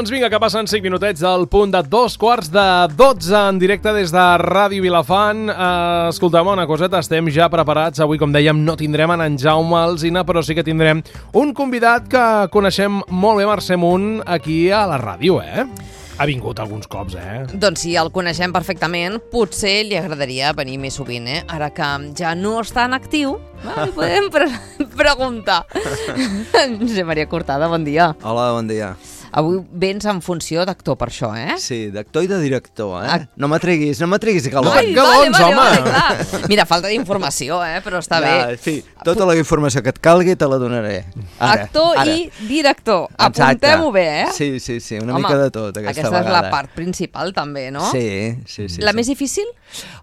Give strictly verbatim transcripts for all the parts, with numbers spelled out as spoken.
Doncs vinga, que passen cinc minutets del punt de dos quarts de dotze en directe des de Ràdio Vilafant. Uh, escolta'm, una coseta, estem ja preparats. Avui, com dèiem, no tindrem en Jaume Alsina, però sí que tindrem un convidat que coneixem molt bé, Mercè Munt, aquí a la ràdio, eh? Ha vingut alguns cops, eh? Doncs sí, el coneixem perfectament. Potser li agradaria venir més sovint, eh? Ara que ja no està en actiu, va, li podem pre preguntar. Josep Maria Cortada, bon dia. Hola, bon dia. Avui vens en funció d'actor per això, eh? Sí, d'actor i de director, eh? Ah. No m'atreguis, no m'atreguis a calor. Ai, galons, vale, home! vale, clar. Mira, falta d'informació, eh? Però està ja, bé. Sí, tota la informació que et calgui te la donaré. Ara, Actor ara. i director. Exacte. Apuntem-ho bé, eh? Sí, sí, sí, una Home, mica de tot aquesta, aquesta vegada. és la part principal, també, no? Sí, sí, sí. La sí. més difícil?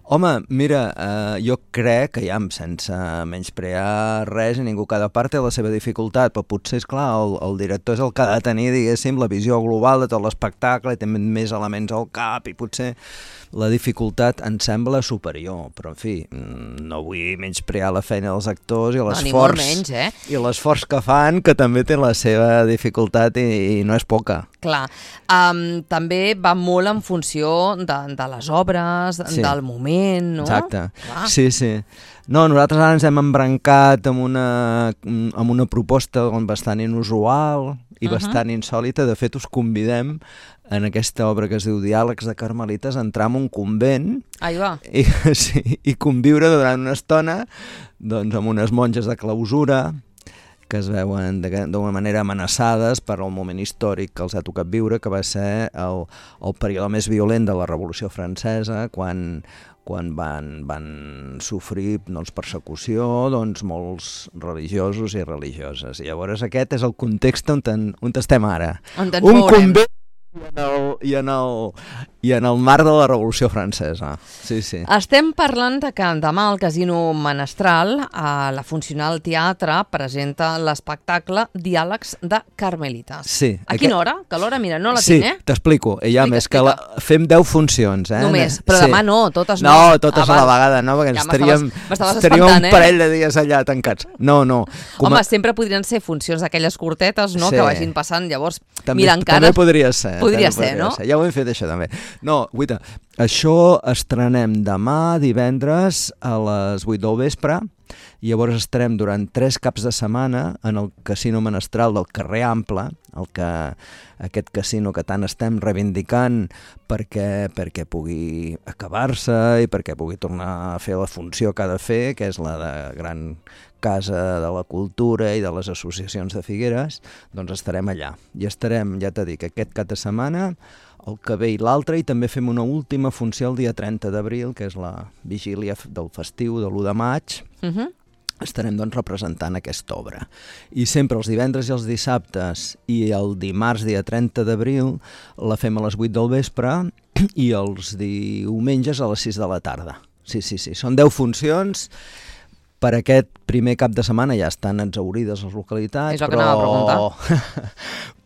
Home, mira, uh, jo crec que ja, sense menysprear res, i ningú, cada part té la seva dificultat, però potser, és clar, el, el director és el que ha de tenir, diguéssim, la visió global de tot l'espectacle, i té més elements al cap, i potser la dificultat em sembla superior, però en fi, no vull menysprear la feina dels actors i l'esforç, menys, eh? i l'esforç que fan, que també té la seva dificultat i, i no és poca. Clar, um, també va molt en funció de, de les obres, Sí. del moment, no? Exacte, Clar. sí, sí. No, nosaltres ara ens hem embrancat amb una, amb una proposta bastant inusual i Uh-huh. bastant insòlita. De fet, us convidem en aquesta obra que es diu Diàlegs de Carmelites a entrar en un convent Ahí va. i, sí, i conviure durant una estona doncs, amb unes monges de clausura que es veuen d'una manera amenaçades per al moment històric que els ha tocat viure, que va ser el, el període més violent de la Revolució Francesa, quan, quan van, van sofrir doncs, persecució doncs, molts religiosos i religioses. I llavors aquest és el context on, ten, on estem ara. On ens Un veurem. convent i en, el, i, en el, i en el marc de la Revolució Francesa. Sí, sí. Estem parlant de que demà al Casino Menestral, a la Funcional Teatre, presenta l'espectacle Diàlegs de Carmelites. Sí. A quina hora? Que l'hora, mira, no la sí, tinc, eh? t'explico. I ja Explica, més que la, fem deu funcions, eh? Només, però sí. demà no, totes no. No, totes Ah, a la val. vegada, no? Perquè Ja ens estaríem, m'estaves estaríem espantant, un eh? parell de dies allà tancats. No, no. Com Home, a... sempre podrien ser funcions d'aquelles curtetes, no?, Sí. que vagin passant, llavors, També, mira, encara... també podria ser. Podria també ser, no? Ser. Ja ho hem fet, això, també. No, guaita, això estrenem demà, divendres, a les vuit del vespre, i llavors estarem durant tres caps de setmana en el Casino Menestral del carrer Ample, el que, aquest casino que tant estem reivindicant perquè, perquè pugui acabar-se i perquè pugui tornar a fer la funció que ha de fer, que és la de gran casa de la cultura i de les associacions de Figueres, doncs estarem allà. I estarem, ja t'he dit, aquest cap de setmana, el que ve i l'altre, i també fem una última funció el dia trenta d'abril, que és la vigília del festiu de l'u de maig. Uh -huh. Estarem doncs representant aquesta obra. I sempre els divendres i els dissabtes i el dimarts, dia trenta d'abril, la fem a les vuit del vespre i els diumenges a les sis de la tarda. Sí, sí, sí, són deu funcions. Per aquest primer cap de setmana ja estan exhaurides les localitats, És el que però... anava a preguntar.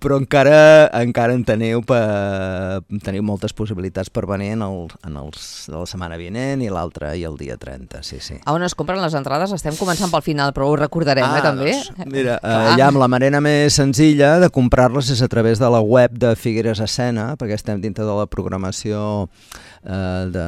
però encara, encara en teniu, per... teniu moltes possibilitats per venir en, el, en els de la setmana vinent i l'altre i el dia trenta, sí, sí. A on es compren les entrades? Estem començant pel final, però ho recordarem, Ah, eh, també. Doncs, mira, eh, ja amb la manera més senzilla de comprar-les és a través de la web de Figueres Escena, perquè estem dintre de la programació eh, de,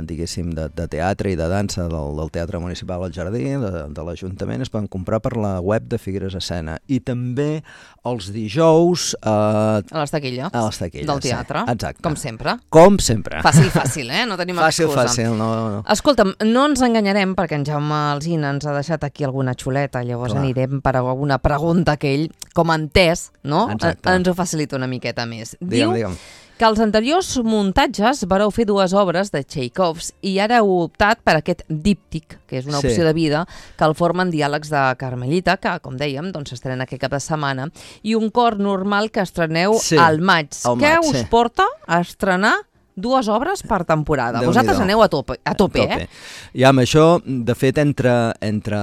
diguéssim, de, de teatre i de dansa del, del Teatre Municipal al Jardí, de, de l'Ajuntament. Es poden comprar per la web de Figueres Escena. I també els dijous eh, A les taquilles. a les taquilles. Del teatre. Sí. Exacte. Com sempre. Com sempre. Fàcil, fàcil, eh? No tenim Fàcil, excusa. fàcil, no, no. Escolta'm, no ens enganyarem, perquè en Jaume Alsina ens ha deixat aquí alguna xuleta, llavors Clar. anirem per alguna pregunta que ell, com ha entès, no? Exacte. ens ho facilita una miqueta més. Digue'm, Diu digue'm. que als anteriors muntatges vareu fer dues obres de Txaikovs i ara heu optat per aquest díptic, que és una Sí. opció de vida, que el formen Diàlegs de Carmelita, que, com dèiem, doncs s'estrena aquest cap de setmana, i un cor normal que estreneu Sí, al maig. al Què maig, us sí. porta a estrenar dues obres per temporada? Déu-n'hi-do. Vosaltres aneu a tope, a tope, A tope. eh? Ja amb això, de fet, entre, entre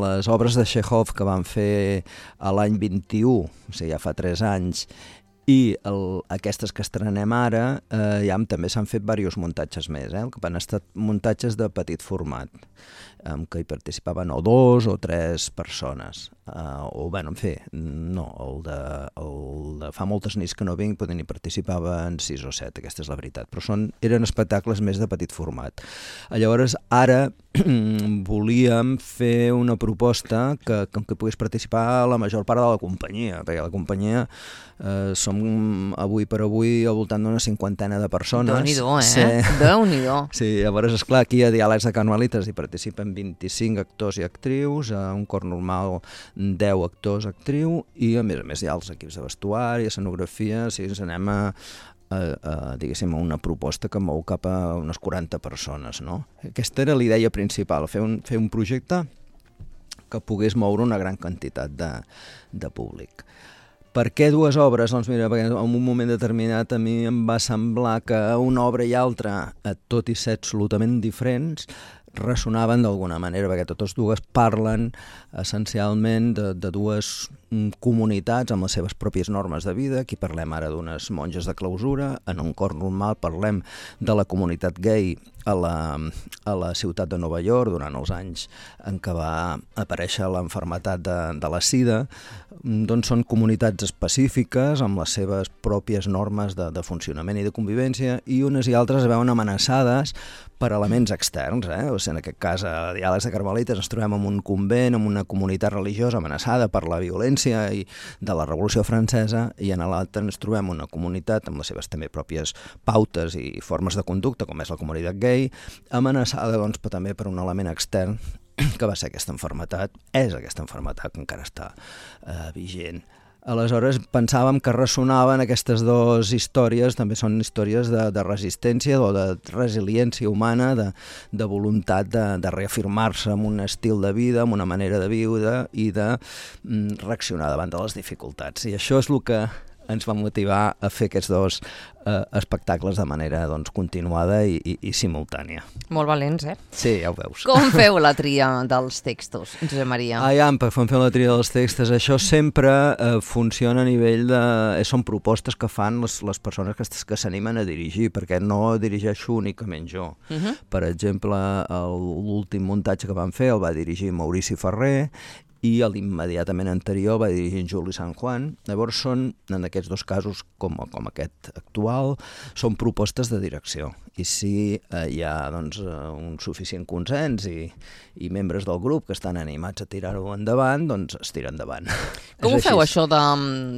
les obres de Txékhov que van fer a l'any vint-i-u, o sigui, ja fa tres anys, i el, aquestes que estrenem ara, eh, ja també s'han fet diversos muntatges més, eh? Que van estar muntatges de petit format. en què hi participaven o dos o tres persones. Uh, o, bueno, en fi, no, el de, el de fa moltes nits que no vinc, potser n'hi participaven sis o set, aquesta és la veritat, però són, eren espectacles més de petit format. Llavors, ara volíem fer una proposta que, que, que pogués participar la major part de la companyia, perquè la companyia eh, som avui per avui al voltant d'una cinquantena de persones. Déu-n'hi-do, eh? Sí. Déu-n'hi-do. Sí, llavors, esclar, aquí a Diàlegs de Carmelites hi participen vint-i-cinc actors i actrius, a un cor normal deu actors, actriu, i a més a més hi ha els equips de vestuari, escenografia, o sigui, ens anem a, a, a, diguéssim, a una proposta que mou cap a unes quaranta persones, no? Aquesta era la idea principal, fer un, fer un projecte que pogués moure una gran quantitat de, de públic. Per què dues obres? Doncs mira, perquè en un moment determinat a mi em va semblar que una obra i altra, tot i ser absolutament diferents, ressonaven d'alguna manera, perquè totes dues parlen essencialment de, de dues comunitats amb les seves pròpies normes de vida. Aquí parlem ara d'unes monges de clausura, en un cor normal parlem de la comunitat gay a la, a la ciutat de Nova York durant els anys en què va aparèixer l'enfermetat de, de la sida. Doncs són comunitats específiques amb les seves pròpies normes de, de funcionament i de convivència, i unes i altres es veuen amenaçades per elements externs, eh? O sigui, en aquest cas, a Diàlegs de Carmelites ens trobem en un convent, en una comunitat religiosa amenaçada per la violència i de la Revolució Francesa, i en l'altre ens trobem una comunitat amb les seves també pròpies pautes i formes de conducta, com és la comunitat gay, amenaçada doncs, també per un element extern que va ser aquesta enfermetat, és aquesta enfermetat que encara està eh, vigent. Aleshores pensàvem que ressonaven aquestes dues històries, també són històries de, de resistència o de resiliència humana, de, de voluntat de, de reafirmar-se en un estil de vida, en una manera de viure i de mm, reaccionar davant de les dificultats. I això és el que ens va motivar a fer aquests dos eh, espectacles de manera doncs, continuada i, i, i simultània. Molt valents, eh? Sí, ja ho veus. Com feu la tria dels textos, Josep Maria? Ah, ja, per fer la tria dels textos, això sempre eh, funciona a nivell de... Eh, són propostes que fan les, les persones que, que s'animen a dirigir, perquè no dirigeixo únicament jo. Uh -huh. Per exemple, l'últim muntatge que vam fer el va dirigir Maurici Ferrer, i l'immediatament anterior va dirigir en Juli San Juan. Llavors són, en aquests dos casos, com, com aquest actual, són propostes de direcció. I si eh, hi ha doncs, un suficient consens i, i membres del grup que estan animats a tirar-ho endavant, doncs es tira endavant. Com ho feu, això de,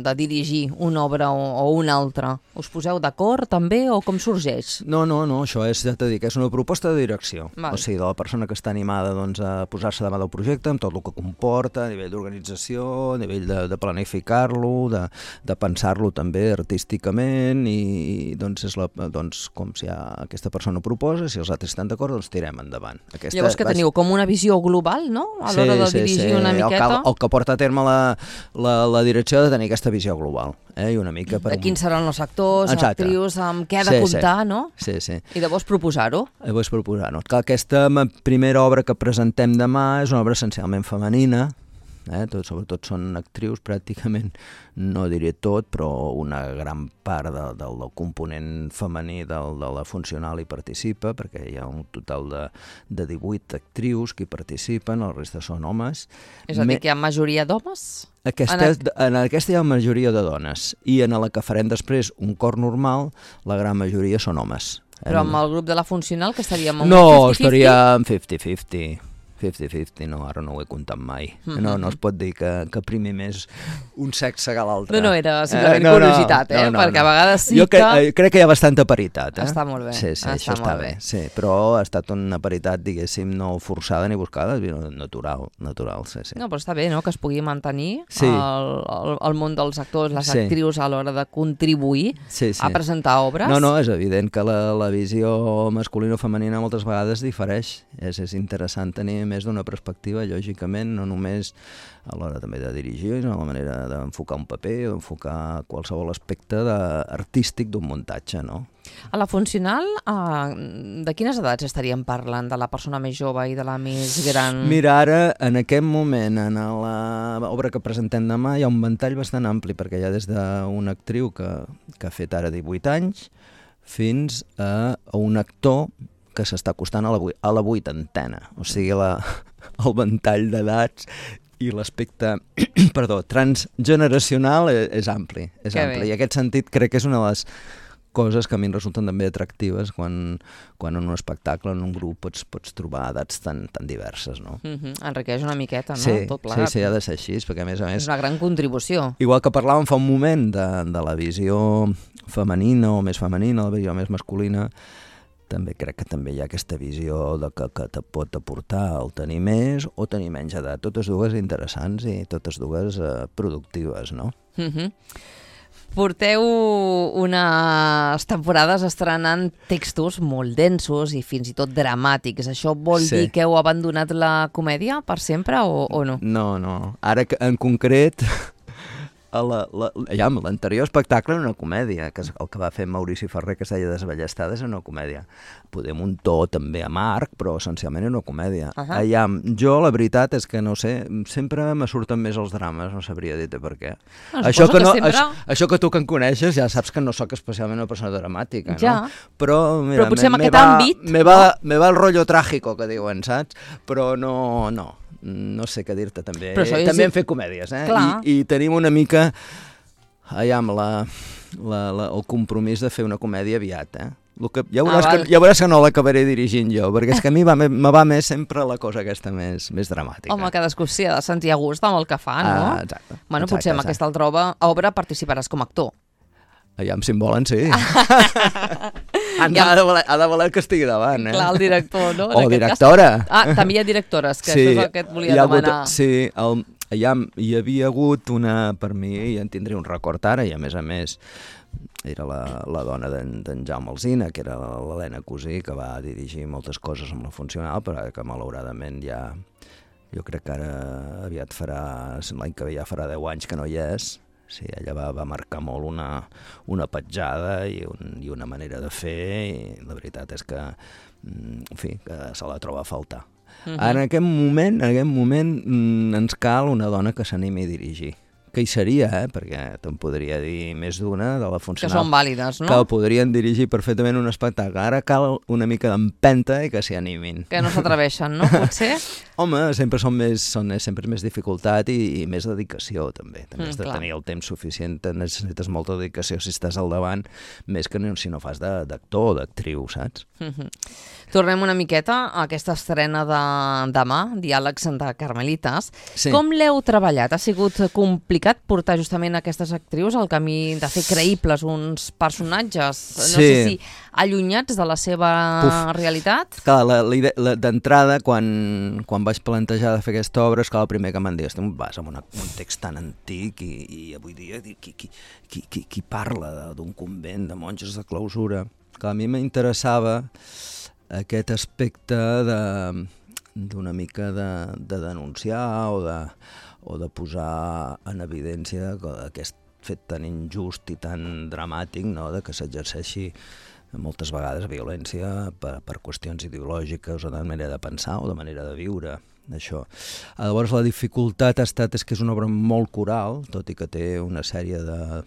de dirigir una obra o, o una altra? Us poseu d'acord també o com sorgeix? No, no, no, això és, ja t'he dit, és una proposta de direcció. Val. O sigui, de la persona que està animada doncs, a posar-se davant del projecte, amb tot el que comporta, a nivell d'organització, a nivell de, de planificar-lo, de, de pensar-lo també artísticament, i doncs és la, doncs, com si aquesta persona proposa, si els altres estan d'acord, doncs tirem endavant. Aquesta, Llavors que teniu com una visió global, no?, a l'hora sí, de dirigir sí, sí. una miqueta. El que, el que porta a terme la, la, la direcció de tenir aquesta visió global. Eh? I una mica per... De quins seran els actors, Exacte. actrius, amb què ha de sí, comptar, sí. no? Sí, sí. I llavors proposar-ho. Llavors proposar-ho. Aquesta primera obra que presentem demà és una obra essencialment femenina, Eh, tot, sobretot són actrius, pràcticament, no diré tot, però una gran part de, del, del component femení del, de la funcional hi participa, perquè hi ha un total de, de divuit actrius que hi participen, el resta són homes. És a dir, Me... que hi ha majoria d'homes? Aquesta, en, en aquesta hi ha majoria de dones, i en la que farem després un cor normal, la gran majoria són homes. Però amb el grup de la funcional, que estaríem amb no, estaríem cinquanta cinquanta. cinquanta cinquanta, no, ara no ho he comptat mai. Mm-hmm. No, no es pot dir que, que primer més un sexe que l'altre. No, no, era simplement eh, no, curiositat, eh? No, no, perquè no. A vegades sí jo que... Jo crec que hi ha bastanta paritat, eh? Està molt bé. Sí, sí, està això està bé. bé. Sí, però ha estat una paritat, diguéssim, no forçada ni buscada, natural, natural, sí, sí. No, però està bé, no?, que es pugui mantenir sí. el, el, el món dels actors, les sí. actrius a l'hora de contribuir sí, sí. a presentar obres. No, no, és evident que la, la visió masculina o femenina moltes vegades difereix. És, és interessant tenir més d'una perspectiva, lògicament, no només a l'hora també de dirigir, sinó a la manera d'enfocar un paper o d'enfocar qualsevol aspecte de, artístic d'un muntatge, no? A la funcional, eh, de quines edats estaríem parlant? De la persona més jove i de la més gran? Mira, ara, en aquest moment, en l'obra que presentem demà, hi ha un ventall bastant ampli, perquè hi ha des d'una actriu que, que ha fet ara divuit anys fins a, a un actor que s'està acostant a la, a la vuitantena, o sigui, la, el ventall d'edats i l'aspecte, perdó, transgeneracional és, és ampli, és Que ampli. bé. I en aquest sentit crec que és una de les coses que a mi em resulten també atractives quan, quan en un espectacle, en un grup, pots, pots trobar edats tan, tan diverses, no? Uh -huh. Enriqueix una miqueta, no? Sí, Tot sí, plegat. sí, ha de ser així, perquè a més a És més... una gran contribució. Igual que parlàvem fa un moment de, de la visió femenina o més femenina, la visió més masculina, també crec que també hi ha aquesta visió de que, que te pot aportar el tenir més o tenir menys edat. Totes dues interessants i totes dues eh, productives, no? Uh -huh. Porteu unes temporades estrenant textos molt densos i fins i tot dramàtics. Això vol Sí. dir que heu abandonat la comèdia per sempre o, o no? No, no. Ara, que- en concret, a la, la, ja, l'anterior espectacle era una comèdia, que és el que va fer Maurici Ferrer, que es deia Desballestades, era una comèdia. Podem un to també amarg, però essencialment era una comèdia. Uh -huh. Allà, jo la veritat és que, no sé, sempre me surten més els drames, no sabria dir-te per què. Ah, això, suposo que que no, sempre- això, això que tu que em coneixes ja saps que no sóc especialment una persona dramàtica, Ja. no? Però, mira, Però potser me- en me aquest va, àmbit, Me va, me va el rotllo tràgico, que diuen, saps? Però no, no, no sé què dir-te també. Però això és- També hem fet comèdies, eh? Clar. I, I tenim una mica, allà, amb la, la, la, el compromís de fer una comèdia aviat, eh? El que, ja, veuràs Ah, que, val. ja veuràs que no l'acabaré dirigint jo, perquè és que a mi va, me, me va més sempre la cosa aquesta més, més dramàtica. Home, cadascú s'hi ha de sentir a gust amb el que fa, no? Ah, exacte. Bueno, exacte, potser amb exacte. aquesta altra obra, obra participaràs com a actor. Allà, si em volen, sí. ha, Ja- ha, de voler, ha de voler que estigui davant, eh? Clar, el director, no? En O aquest directora. Cas. Ah, també hi ha directores, que això és el que et volia hi ha hagut- demanar. Sí, el, allà hi havia hagut una, per mi, i en tindré un record ara, i a més a més era la, la dona d'en Jaume Alsina, que era l'Helena Cosí, que va dirigir moltes coses amb la funcional, però que malauradament ja, jo crec que ara aviat farà, l'any que ve ja farà deu anys que no hi és. Sí, ella va, va marcar molt una, una petjada i, un, i una manera de fer, i la veritat és que, en fi, que se la troba a faltar. Uh -huh. En aquest moment, en aquest moment mm, ens cal una dona que s'animi a dirigir. Que hi seria, eh? Perquè te'n podria dir més d'una de la Que funcional. són vàlides, no? Que el podrien dirigir perfectament un espectacle. Ara cal una mica d'empenta i que s'hi animin. Que no s'atreveixen, no? Potser? Home, sempre són més, són, sempre és més dificultat i, i més dedicació, també. També Mm, has de clar. tenir el temps suficient, necessites molta dedicació si estàs al davant, més que no, si no fas de- d'actor o d'actriu, saps? Mhm. Tornem una miqueta a aquesta estrena de demà, Diàlegs de Carmelites. Sí. Com l'heu treballat? Ha sigut complicat portar justament aquestes actrius al camí de fer creïbles uns personatges, no Sí. sé si allunyats de la seva Puf. realitat? Clar, la, la, idea- la, d'entrada, quan, quan vaig plantejar de fer aquesta obra, és que el primer que m'han dit, estem vas amb una, un text tan antic i, i avui dia qui, qui, qui, qui, qui parla d'un convent de monges de clausura? Clar, a mi m'interessava aquest aspecte de d'una mica de, de denunciar o de, o de posar en evidència aquest fet tan injust i tan dramàtic, no?, de que s'exerceixi moltes vegades violència per, per qüestions ideològiques o de manera de pensar o de manera de viure, això. Llavors la dificultat ha estat és que és una obra molt coral, tot i que té una sèrie de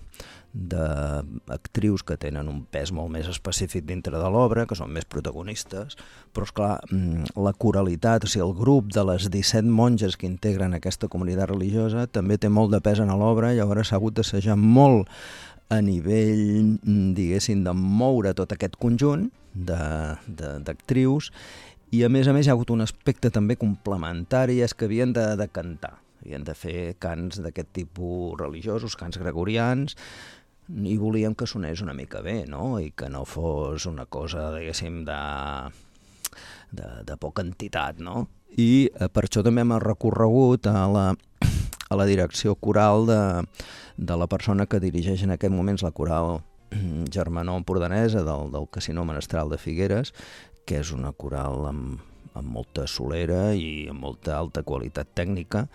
d'actrius que tenen un pes molt més específic dintre de l'obra, que són més protagonistes, però esclar, la coralitat, o sigui, el grup de les disset monges que integren aquesta comunitat religiosa també té molt de pes en l'obra, i llavors s'ha hagut d'assajar molt a nivell, diguéssim, de moure tot aquest conjunt d'actrius, i a més a més hi ha hagut un aspecte també complementari, és que havien de, de cantar, havien de fer cants d'aquest tipus religiosos, cants gregorians, i volíem que sonés una mica bé, no?, i que no fos una cosa, diguéssim, de, de, de poca entitat, no? I eh, per això també hem recorregut a la, a la direcció coral de, de la persona que dirigeix en aquest moments la coral germanó empordanesa del, del Casino Menestral de Figueres, que és una coral amb, amb molta solera i amb molta alta qualitat tècnica,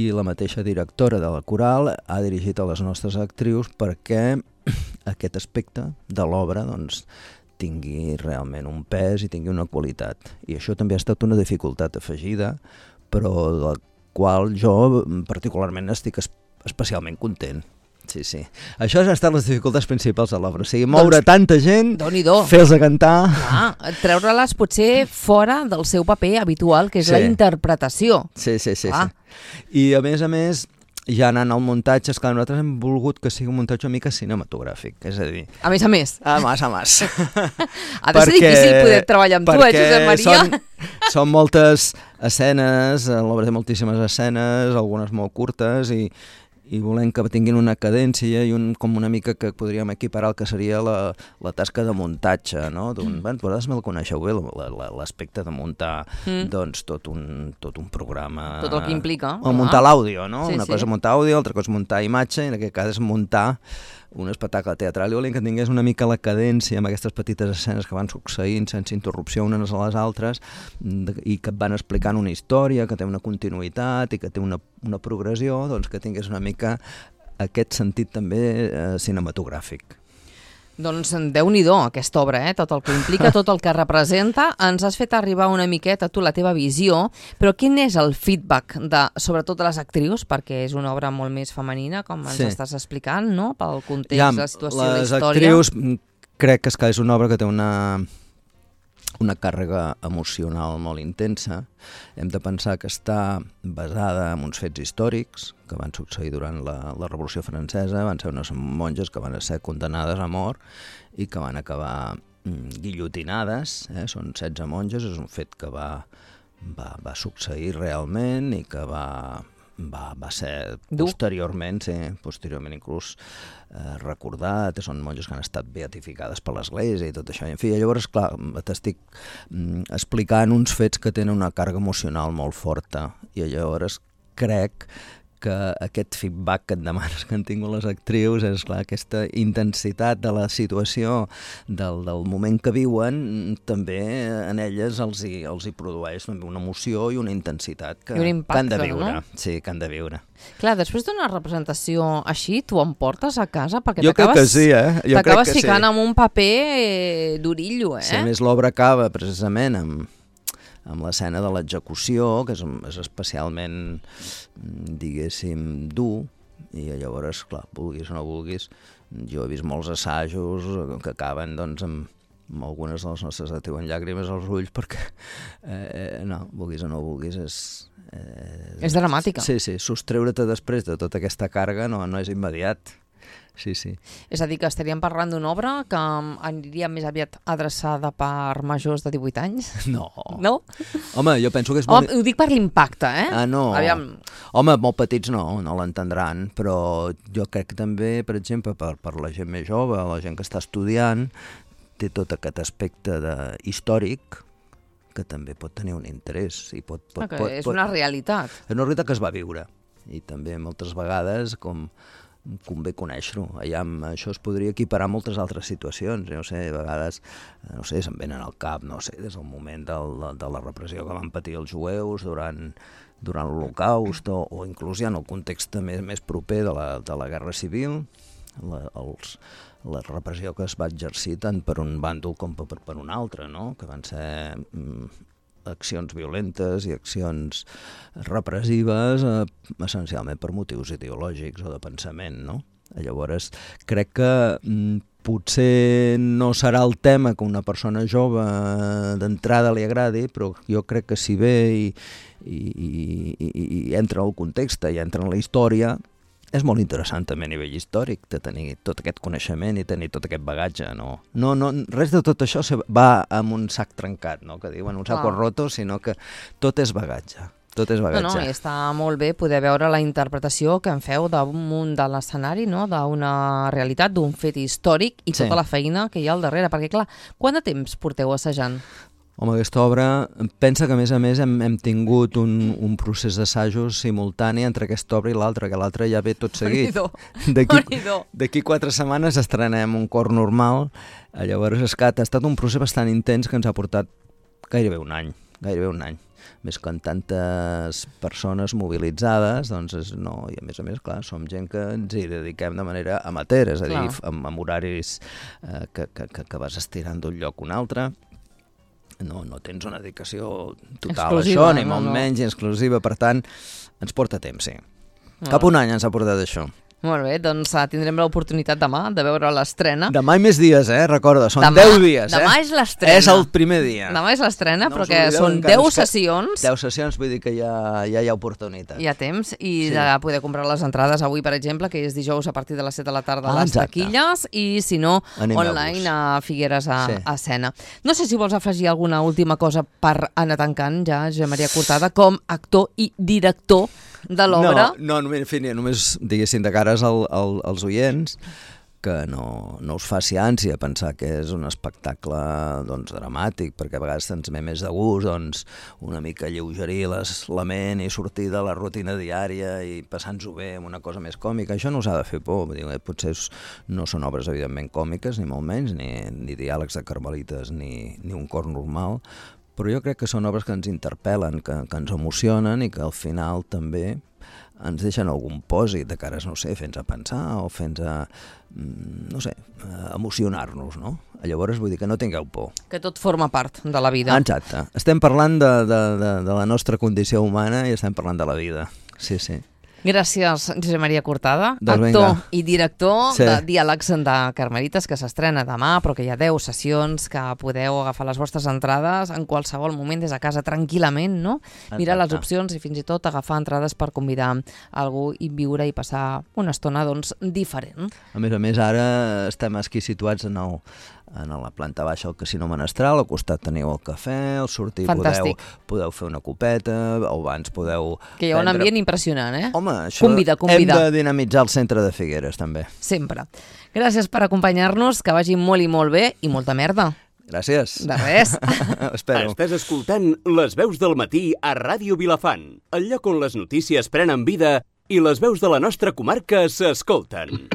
i la mateixa directora de la coral ha dirigit a les nostres actrius perquè aquest aspecte de l'obra doncs, tingui realment un pes i tingui una qualitat. I això també ha estat una dificultat afegida, però de la qual jo particularment estic es- especialment content. Sí, sí. Això han estat les dificultats principals de l'obra. O sigui, moure doncs, tanta gent, fer-los a cantar... Clar, treure-les potser fora del seu paper habitual, que és sí. la interpretació. Sí, sí, sí, sí. I a més a més, ja anant al muntatge, esclar, nosaltres hem volgut que sigui un muntatge una mica cinematogràfic, és a dir... A més a més. A més a més. Ha de ser difícil poder treballar amb tu, eh, Josep Maria? Són, són moltes escenes, l'obra té moltíssimes escenes, algunes molt curtes, i, i volem que tinguin una cadència i un, com una mica que podríem equiparar el que seria la, la tasca de muntatge, no? Mm. Bueno, vosaltres me'l coneixeu bé, l'aspecte de muntar mm. doncs, tot, un, tot un programa... Tot el que implica. O muntar l'àudio, no? Sí, una sí. cosa és muntar àudio, altra cosa és muntar imatge, i en aquest cas és muntar un espectacle teatral. I volem que tingués una mica la cadència amb aquestes petites escenes que van succeint sense interrupció unes a les altres i que et van explicant una història, que té una continuïtat i que té una, una progressió, doncs que tingués una mica aquest sentit també eh, cinematogràfic. Doncs Déu-n'hi-do aquesta obra, eh? Tot el que implica, tot el que representa. Ens has fet arribar una miqueta tu la teva visió, però quin és el feedback de, sobretot de les actrius, perquè és una obra molt més femenina, com ens sí. estàs explicant, no? Pel context, ja, la situació, la història. Les actrius crec que és una obra que té una... una càrrega emocional molt intensa. Hem de pensar que està basada en uns fets històrics que van succeir durant la, la Revolució Francesa. Van ser unes monges que van ser condemnades a mort i que van acabar mm, guillotinades. Eh? Són setze monges, és un fet que va, va, va succeir realment i que va... Va, va ser posteriorment, sí, posteriorment inclús eh, recordat, són monges que han estat beatificades per l'Església i tot això. I, en fi, llavors, clar, t'estic mm, explicant uns fets que tenen una càrrega emocional molt forta i llavors crec que aquest feedback que et demanes que han tingut les actrius és clar, aquesta intensitat de la situació, del, del moment que viuen, també en elles els hi, els hi produeix una emoció i una intensitat que, un impacte, que han de viure. No? Sí, que han de viure. Clar, després d'una representació així, tu em portes a casa perquè jo crec que sí, eh? Jo t'acabes crec que ficant sí. en un paper eh, d'orillo, eh? Sí, a més l'obra acaba precisament amb amb l'escena de l'execució, que és, és especialment, diguéssim, dur, i llavors, clar, vulguis o no vulguis, jo he vist molts assajos que acaben, doncs, amb, amb algunes de les nostres et diuen llàgrimes als ulls, perquè, eh, no, vulguis o no vulguis, és... Eh, és dramàtica. Sí, sí, sostreure't després de tota aquesta càrrega no, no és immediat. Sí, sí. És a dir, que estaríem parlant d'una obra que aniria més aviat adreçada per majors de divuit anys? No. No? Home, jo penso que és molt... Home, ho dic per l'impacte, eh? Ah, no. Aviam. Home, molt petits no, no l'entendran, però jo crec que també, per exemple, per, per la gent més jove, la gent que està estudiant, té tot aquest aspecte de, històric, que també pot tenir un interès. I pot, pot, okay, pot, és pot, una realitat. És una realitat que es va viure. I també moltes vegades, com... convé conèixer-ho. Això es podria equiparar a moltes altres situacions. No sé, a vegades, no sé, se'm venen al cap, no sé, des del moment del, de la repressió que van patir els jueus durant, durant l'Holocaust o, o inclús ja en el context més, més proper de la, de la Guerra Civil, la, els, la repressió que es va exercir tant per un bàndol com per, per un altre, no? Que van ser... Mm, accions violentes i accions repressives eh, essencialment per motius ideològics o de pensament, no? Llavors, crec que mm, potser no serà el tema que una persona jove d'entrada li agradi, però jo crec que si ve i, i, i, i entra al context i entra en la història, és molt interessant també a nivell històric de tenir tot aquest coneixement i tenir tot aquest bagatge. No, no, no res de tot això va amb un sac trencat, no? Que diuen un saco ah. roto, sinó que tot és bagatge. Tot és bagatge. No, no, i està molt bé poder veure la interpretació que en feu damunt de l'escenari, no? D'una realitat, d'un fet històric i tota sí. la feina que hi ha al darrere. Perquè, clar, quant de temps porteu assajant? Home, aquesta obra, pensa que a més a més hem, hem tingut un, un procés d'assajos simultani entre aquesta obra i l'altra, que l'altra ja ve tot seguit. D'aquí quatre setmanes estrenem un cor normal, llavors és que ha estat un procés bastant intens que ens ha portat gairebé un any, gairebé un any. Més que en tantes persones mobilitzades, doncs és, no, i a més a més, clar, som gent que ens hi dediquem de manera amateur, és a dir, amb, amb horaris eh, que, que, que vas estirant d'un lloc a un altre. No, no tens una dedicació total exclusiva, a això, ni no, molt no. menys exclusiva, per tant, ens porta temps, sí. No. Cap un any ens ha portat això. Molt bé, doncs uh, tindrem l'oportunitat demà de veure l'estrena. Demà i més dies, eh? Recorda, són demà, deu dies, eh? Demà és l'estrena. És el primer dia. Demà és l'estrena, no però que són deu sessions. deu sessions, vull dir que ja, ja hi ha oportunitat. Hi ha temps i Sí. de poder comprar les entrades avui, per exemple, que és dijous a partir de les set de la tarda a Ah, les exacte. taquilles, i si no, Animeu-vos. online a Figueres a, Sí. a Sena. No sé si vols afegir alguna última cosa per anar tancant ja, Josep Maria Cortada, com actor i director de l'obra. No, no només, en fi, només diguéssim de cares al, al, als oients que no, no us faci ànsia pensar que és un espectacle doncs, dramàtic, perquè a vegades ens ve més de gust doncs, una mica lleugerir les, la ment i sortir de la rutina diària i passar-nos-ho bé amb una cosa més còmica. Això no us ha de fer por. Vull dir, potser no són obres evidentment còmiques, ni molt menys, ni, ni diàlegs de carmelites, ni, ni un cor normal, però jo crec que són obres que ens interpel·len, que, que ens emocionen i que al final també ens deixen algun pòsit de cares, no sé, fent-nos a pensar o fent-nos a, no sé, a emocionar-nos, no? Llavors vull dir que no tingueu por. Que tot forma part de la vida. Exacte. Estem parlant de, de, de, de la nostra condició humana i estem parlant de la vida. Sí, sí. Gràcies, Josep Maria Cortada, Doncs actor vinga. i director Sí. de Diàlegs de Carmelites, que s'estrena demà, però que hi ha deu sessions, que podeu agafar les vostres entrades en qualsevol moment des de casa tranquil·lament, no? Mirar les Exacte. opcions i fins i tot agafar entrades per convidar algú i viure i passar una estona doncs, diferent. A més a més, ara estem aquí situats en, el, en la planta baixa del Casino Menestral, al costat teniu el cafè, al sortir podeu, Fantàstic. podeu fer una copeta, o abans podeu... Que hi ha un prendre- ambient impressionant, eh? Home, això Convida, convida. hem de dinamitzar el centre de Figueres, també. Sempre. Gràcies per acompanyar-nos, que vagi molt i molt bé i molta merda. Gràcies. De res. Espero. Estàs escoltant Les veus del matí a Ràdio Vilafant, el lloc on les notícies prenen vida i les veus de la nostra comarca s'escolten.